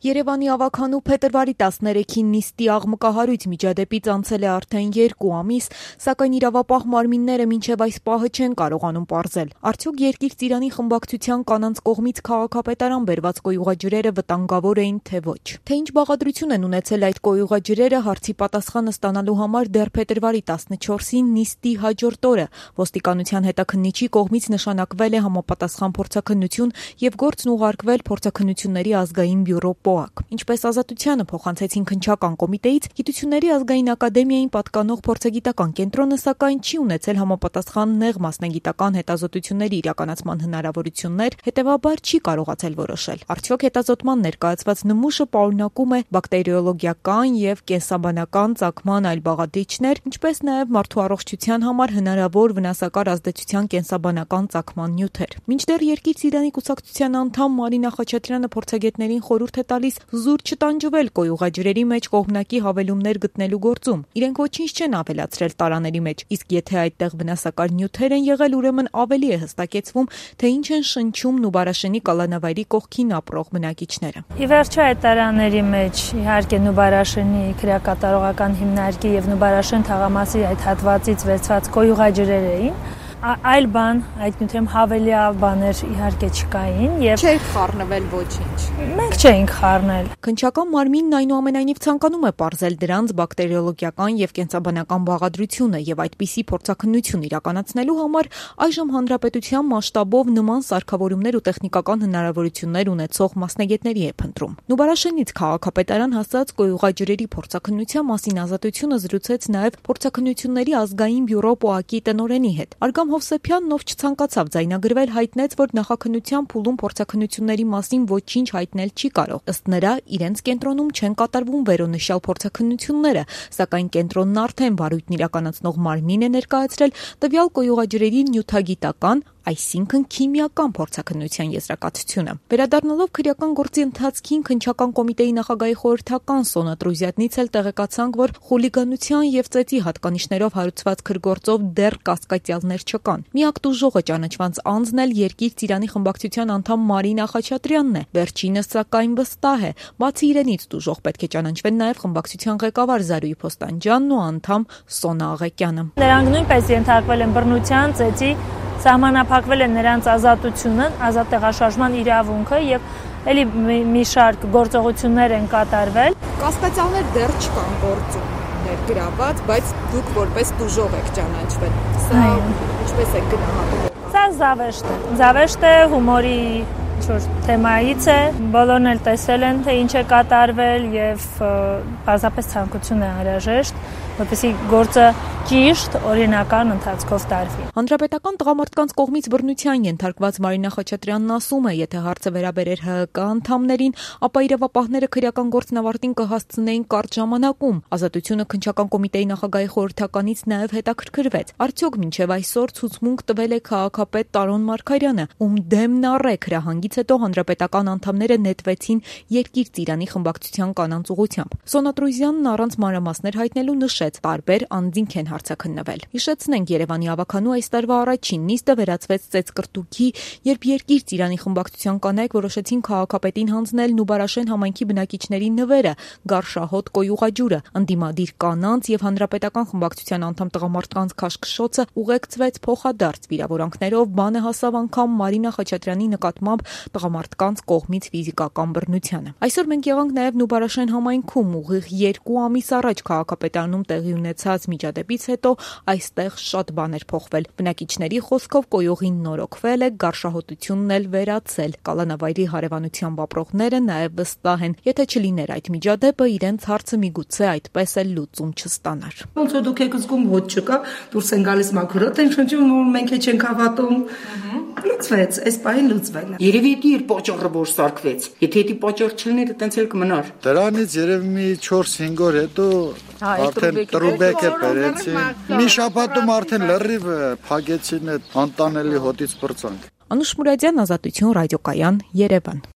Երևանի ավագանու փետրվարի 13-ին նիստի աղմկահարույց միջադեպից անցել է արդեն 2 ամիս, սակայն իրավապահ մարմինները մինչև այս պահը չեն կարողանում պարզել. արդյոք Երկիր Ծիրանի խմբակցության կանանց կողմից քաղաքապետարան բերված կոյուղաջրերը վտանգավոր էին, թե ոչ։ Թե ինչ բաղադրություն են ունեցել այդ կոյուղաջրերը, հարցի պատասխանը ստանալու համար դեռ փետրվարի 14-ին նիստի հաջորդ օրը ոստիկանության հետաքննիչի կողմից նշանակվել է համապատասխան փորձաքննություն եւ գործն ուղարկվել փորձաքննությունների ազգային բյուրո Ինչպես Ազատությանը փոխանցեցին քննչական կոմիտեից, Գիտությունների ազգային ակադեմիային պատկանող փորձագիտական կենտրոնը սակայն չի ունեցել համապատասխան նեղ մասնագիտական հետազոտությունների իրականացման հնարավորություններ, հետևաբար չի կարողացել որոշել. Արդյոք հետազոտման ներկայացված նմուշը պարունակում է բակտերիոլոգիական եւ կենսաբանական ծագման այլ բաղադրիչներ, ինչպես նաեւ մարդու առողջության համար հնարավոր վնասակար ազդեցության կենսաբանական ծագման նյութեր։ Մինչդեռ Երկիր Ծիրանի կուսակցության անդամ Մարինա Խաչատրյանը փորձագետներին խորհուրդ է տալիս զուր չտանջվել կոյուղաջրերի մեջ կողմնակի հավելումներ գտնելու գործում։ Իրենք ոչինչ չեն ավելացրել տարաների մեջ, իսկ եթե այդտեղ վնասակար նյութեր են եղել, ուրեմն ավելի է հստակեցվում, թե ինչ են շնչում Նուբարաշենի կալանավայրի կողքին ապրող բնակիչները։ Ի վերջո այդ տարաների մեջ իհարկե Նուբարաշենի քրեակատարողական հիմնարկի եւ Նուբարաշեն թաղամասի այդ հատվածից վերցված կոյուղաջրեր էին, այլ բան, այդ նյութերում հավելյա բաներ իհարկե չկային եւ չէր խառնվել ոչինչ։ Մենք չէինք խառնել։ Քննչական մարմինն այնուամենայնիվ ցանկանում է պարզել դրանց բակտերիոլոգիական եւ կենսաբանական բաղադրությունը եւ այդպիսի փորձաքննություն իրականացնելու համար այժմ հանրապետության մասշտաբով նման սարքավորումներ ու տեխնիկական հնարավորություններ ունեցող մասնագետների է փնտրում։ Նուբարաշենից քաղաքապետարան հասած կոյուղաջրերի փորձաքննության մասին Ազատությունը զրուցեց նաեւ փորձաքննությունների ազգային բյուրո ՊՕԱԿ-ի տնօրենի հետ։ Արգամ Հովսեփյանն, ով չցանկացավ ձայնագրվել, հայտնեց, որ նախաքննության փուլում փորձաքննությունների մասին ոչինչ հայտնել չի կարող։ Ըստ նրա, իրենց կենտրոնում չեն կատարվում վերոնշյալ փորձաքննությունները, սակայն կենտրոնն արդեն վարույթն իրականացնող մարմին է ներկայացրել տվյալ կոյուղաջրերի նյութագիտական, այսինքն քիմիական փորձաքննության եզրակացությունը։ Վերադառնալով քրեական գործի ընթացքին քննչական կոմիտեի նախագահի խորհրդական Սոնա Տրուզյատնից էլ տեղեկացանք, որ խուլիգանության եւ ծեծի հատկանիշներով հարուցված քրգործով դեռ կասկածյալներ չկան։ Միակ տուժողը ճանաչված անձն էլ Երկիր Ծիրանի խմբակցության անդամ Մարինա Խաչատրյանն է։ Վերջինս սակայն վստահ է, բացի իրենից տուժող պետք է ճանաչվեն նաեւ խմբակցության ղեկավար Զարուհի Փոստանջյանն ու անդամ Սոնա Աղեկյանը։ Նրանք նույնպես ենթարկվել են բռնության, ծեծի, սահմանափակվել է նրանց ազատությունը, ազատ տեղաշարժման իրավունքը եւ էլի մի շարք գործողություններ են կատարվել։ Կասկածյալներ դեռ չկան գործում ներգրաված, բայց դուք որպես տուժող եք ճանաչվել։ Սա ինչպես է գնահատում։ Սա զավեշտ է հումորի թեմայից է, բոլորն էլ տեսել են, թե ինչ է կատարվել եւ պարզապես ցանկություն է անհրաժեշտ, որպեսզի գործը ճիշտ օրինական ընթացքով տարվի։ Հանրապետական տղամարդկանց կողմից բռնության ենթարկված Մարինա Խաչատրյանն ասում է, եթե հարցը վերաբերեր ՀՀԿ անդամներին, ապա իրավապահները քրեական գործն ավարտին կհասցնեին կարճ ժամանակում։ Ազատությունը քննչական կոմիտեի նախագահի խորհրդականից նաև հետաքրքրվեց. արդյոք մինչև այսօր ցուցմունք տվել է քաղաքապետ Տարոն Մարգարյանը, ում դեմն առեք հրահանգից հետո հանրապետական անդամները նետվեցին Երկիր Ծիրանի խմբակցության կանանց ուղղությամբ։ Սոնա Տրուզյանն առանց մանրամասներ հայտնելու նշեց, տարբեր անձինք են հարցաքննվել։ Հիշեցնենք, Երևանի ավագանու այս տարվա առաջին նիստը վերածվեց ծեծկրտուքի, երբ Երկիր Ծիրանի խմբակցության կանայք որոշեցին քաղաքապետին հանձնել Նուբարաշեն համայնքի բնակիչների նվերը, Գարշահոտ կոյուղաջուրը, ընդդիմադիր կանանց եւ հանրապետական խմբակցության անդամ տղամարդկանց քաշքշոցը ուղեկցվեց փոխադարձ վիրավորանքներով, բանը հասավ անգամ Մարինա Խաչատրյանի նկատմամբ տղամարդկանց կողմից ֆիզիկական բռնությանը։ Այսօր մենք եղանք նաեւ Նուբարաշեն համայնքում ուղիղ 2 ամիս առաջ քաղաքապետարանում տեղի ունեցած միջադեպից հետո այստեղ շատ բաներ փոխվել։ Բնակիչների խոսքով կոյուղին նորոգվել է, գարշահոտությունն էլ վերացել։ Կալանավայրի հարևանությամբ ապրողները նաև վստահ են, եթե չլիներ այդ միջադեպը, իրենց հարցը միգուցե այդպես էլ լուծում չստանար։ Ոնց որ դուք եք զգում ոտ չկա, դուրս են գալիս մաքրոտ են շնչում, որ մենք չենք հավատում։ Լուծվեց, այս պահին լուծվել է։ Երևի դա իր պատճառը որ սարքվեց։ Եթե դա պատճառ չլիներ, այտենց էլ կմնար։ Դրանից երևի մի 4-5 օր հետո արդեն տրուբեկ է բերեցին։ Մի շաբաթում արդեն լրիվ փակեցին այդ անտանելի հոտից պրծանք։ Անուշ Մուրադյան, Ազատություն, ռադիոկայան, Երևան։